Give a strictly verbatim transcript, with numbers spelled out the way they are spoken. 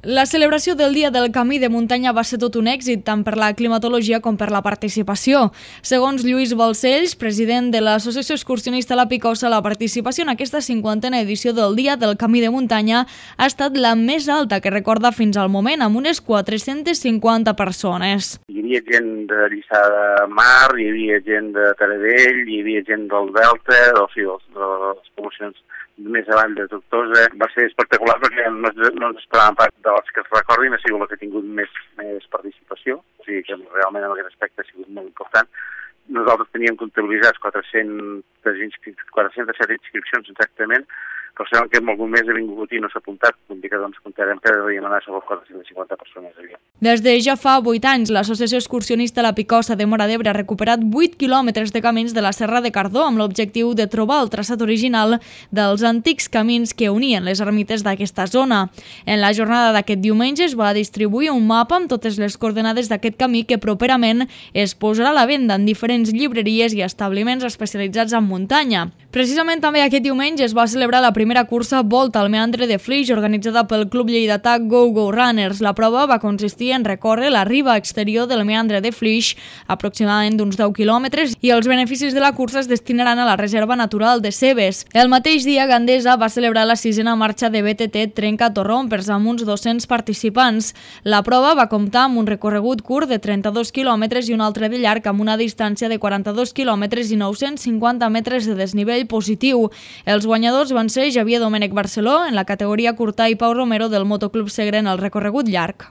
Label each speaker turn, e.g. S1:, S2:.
S1: La celebració del Dia del Camí de Muntanya va ser tot un èxit, tant per la climatologia com per la participació. Segons Lluís Balcells, president de l'Associació Excursionista La Picosa, la participació en aquesta cinquantena edició del Dia del Camí de Muntanya ha estat la més alta que recorda fins al moment, amb unes quatre-centes cinquanta persones.
S2: Hi havia gent de Lliçà de Mar, hi havia gent de Taradell, hi havia gent del Delta, o sigui, de les poblacions més avall de Tortosa. Va ser espectacular perquè no, no ens esperàvem pas de les que es recordin, ha sigut la que ha tingut més, més participació, o sigui que realment en aquest aspecte ha sigut molt important. Nosaltres teníem comptabilitzats quatre-cents set inscripcions exactament, però sabem que en algun mes ha vingut i no s'ha apuntat, vull dir que doncs comptarem que devíem anar sobre quatre-centes cinquanta persones allà.
S1: Des de ja fa vuit anys, l'Associació Excursionista La Picosa de Móra d'Ebre ha recuperat vuit quilòmetres de camins de la Serra de Cardó amb l'objectiu de trobar el traçat original dels antics camins que unien les ermites d'aquesta zona. En la jornada d'aquest diumenge es va distribuir un mapa amb totes les coordenades d'aquest camí que properament es posarà a la venda en diferents llibreries i establiments especialitzats en muntanya. Precisament també aquest diumenge es va celebrar la primera cursa Volta al Meandre de Flix, organitzada pel Club Lleidatà Go Go Runners. La prova va consistir en recórrer la riba exterior del Meandre de Flix, aproximadament d'uns deu quilòmetres, i els beneficis de la cursa es destinaran a la Reserva Natural de Cebes. El mateix dia, Gandesa va celebrar la sisena marxa de B T T Trenca Torrompers amb uns dos-cents participants. La prova va comptar amb un recorregut curt de trenta-dos quilòmetres i un altre de llarg amb una distància de quaranta-dos quilòmetres i nou-cents cinquanta metres de desnivell positiu. Els guanyadors van ser Javier Domènech Barceló en la categoria curta i Pau Romero del Motoclub Segre en el recorregut llarg.